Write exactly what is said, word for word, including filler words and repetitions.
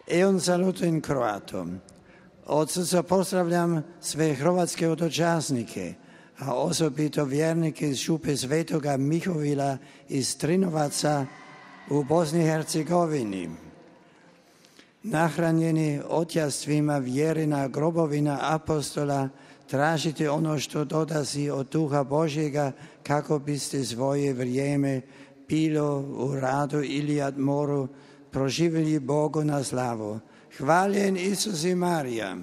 I un saluto in croato. Od srca pozdravljam sve hrvatske otočasnike, a osobito vjernike iz Župe Svetoga Mihovila iz Trinovaca u Bosni i Hercegovini. Nahranjeni otjastvima vjerina grobovina apostola, tražite ono što dolazi od Duha Božjega kako biste svoje vrijeme, bilo u radu ili odmoru, proživjeli Bogu na slavu. Hvaljen Isus i Marija.